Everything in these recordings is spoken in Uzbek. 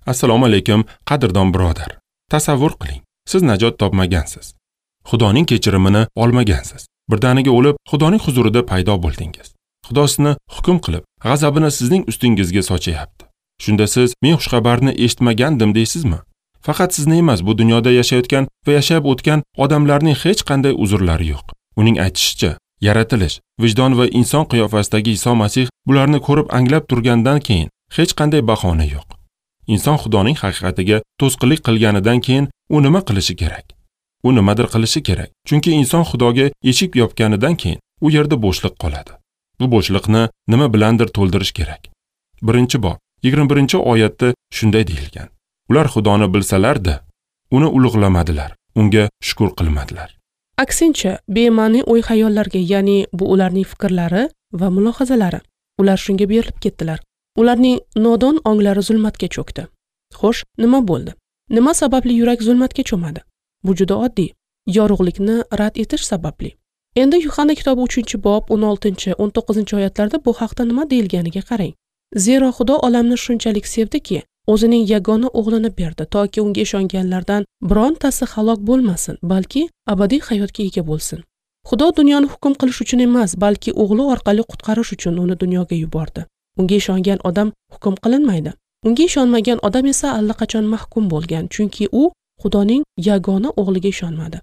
Assalomu alaykum, qadrdon birodar. Tasavvur qiling, siz najot topmagansiz. Xudoning kechirimini olmagansiz. Birdaniga o'lib, Xudoning huzurida paydo bo'ldingiz. Xudo sizni hukm qilib, g'azabini sizning ustingizga sochayapti. Shunda siz men xushxabarni eshitmagandim deysizmi? Faqat sizni emas, bu dunyoda yashayotgan va yashab o'tgan odamlarning hech qanday uzrlari yo'q. Uning aytishicha, yaratilish, vijdon va inson qiyofasidagi Iso Masih bularni ko'rib anglab turgandan keyin hech qanday bahona yo'q. Inson Xudoning haqiqatiga to'sqinlik qilganidan keyin u nima qilishi kerak? U nimadir qilishi kerak. Chunki inson Xudoga eshik yopganidan keyin u yerda bo'shliq qoladi. Bu bo'shliqni nima bilandir to'ldirish kerak. 1-bob 21-oyatda shunday deyilgan: Ular Xudoni bilsalar-da, uni ulug'lamadilar, unga shukr qilmadilar. Aksincha, bema'ni o'y-xayollarga, ya'ni bu ularning fikrlari va mulohazalari, ular shunga berilib ketdilar. Ularning nodon onglari zulmatga cho'kdi. Xo'sh, nima bo'ldi? Nima sababli yurak zulmatga cho'madi? Bu juda oddiy. Yorug'likni rad etish sababli. Endi Yuhanna kitobi 3-bob 16-19 oyatlarda bu haqda nima deyilganiga qarang. Zero Xudo olamni shunchalik sevdiki, o'zining yagona o'g'lini berdi, toki unga ishonganlardan birontasi halok bo'lmasin, balki abadiy hayotga ega bo'lsin. Xudo dunyoni hukm qilish uchun emas, balki o'g'li orqali qutqarish uchun uni dunyoga yubordi. Unga ishongan odam hukm qilinmaydi. Unga ishonmagan odam esa allaqachon mahkum bo'lgan, chunki u Xudoning yagona o'g'liga ishonmadi.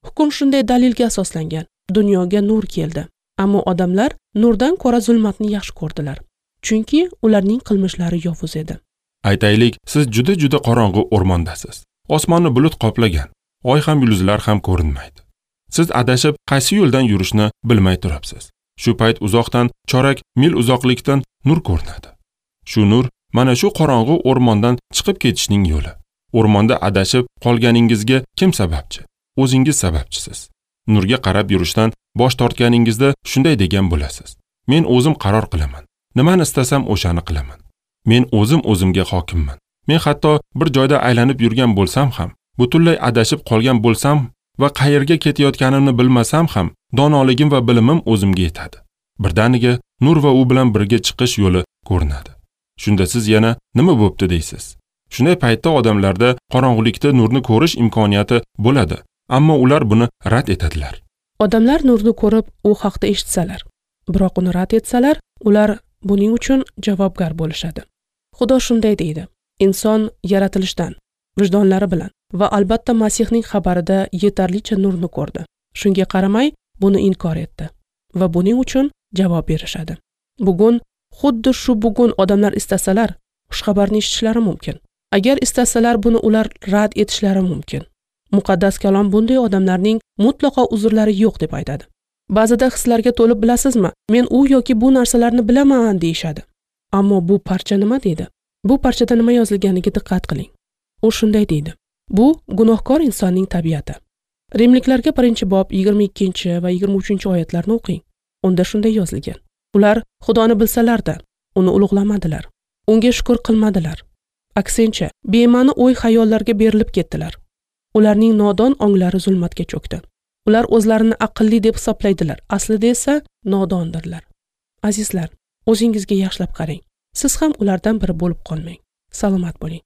Hukm shunday dalilga asoslangan. Dunyoga nur keldi, ammo odamlar nurdan ko'ra zulmatni yaxshi ko'rdilar, chunki ularning qilmishlari yovuz edi. Aytaylik, siz juda-juda qorong'u o'rmondasiz. Osmonni bulut qoplagan, oy ham yulduzlar ham ko'rinmaydi. Siz adashib qaysi yo'ldan yurishni bilmay turibsiz. Shu payt uzoqdan, chorak mil uzoqlikdan nur ko'rinadi. Shu nur mana shu qorong'u o'rmondan chiqib ketishning yo'li. O'rmonda adashib qolganingizga kim sababchi? O'zingiz sababchisiz. Nurga qarab yurishdan bosh tortganingizda shunday degan bo'lasiz: Men o'zim qaror qilaman. Nimani istasam o'shani qilaman. Men o'zim o'zimga hokimman. Men hatto bir joyda aylanib yurgan bo'lsam ham, butunlay adashib qolgan bo'lsam va qayerga ketayotganimni bilmasam ham, donoligim va bilimim o'zimga yetadi. Birdaniga nur va u bilan birga chiqish yo'li ko'rinadi. Shunda siz yana nima bo'pti deysiz. Shunday paytda odamlarda qorong'ulikda nurni ko'rish imkoniyati bo'ladi, ammo ular buni rad etadilar. Odamlar nurni ko'rib, u haqda eshitsalar, biroq uni rad etsalar, ular buning uchun javobgar bo'lishadi. Xudo shunday deydi: inson yaratilishdan, vijdonlari bilan va albatta Masihning xabarida yetarlicha nurni ko'rdi. Shunga qaramay buni inkor etdi va buning uchun javob berishadi. Bugun, xuddi shu bugun odamlar istasalar, xushxabarni eshitishlari mumkin. Agar istasalar, buni ular rad etishlari mumkin. Muqaddas kalom bunday odamlarning mutlaqo uzrlari yo'q deb aytadi. Ba'zida hislarga to'lib, bilasizmi, men u yoki bu narsalarni bilaman deyishadi. Ammo bu parcha nima deydi? Bu parchada nima yozilganiga diqqat qiling. U shunday deydi: Bu gunohkor insonning tabiati. Rimliklarga 1-bob 22 va 23 oyatlarni o'qing. Unda shunday yozilgan: Ular Xudoni bilsalar-da, uni ulug'lamadilar. Unga shukr qilmadilar. Aksincha, bema'ni o'y-xayollarga berilib ketdilar. Ularning nodon onglari zulmatga cho'kdi. Ular o'zlarini aqlli deb hisoblaydilar, aslida esa nodondirlar. Azizlar, o'zingizga yaxshilab qarang. Siz ham ulardan biri bo'lib qolmang. Salomat bo'ling.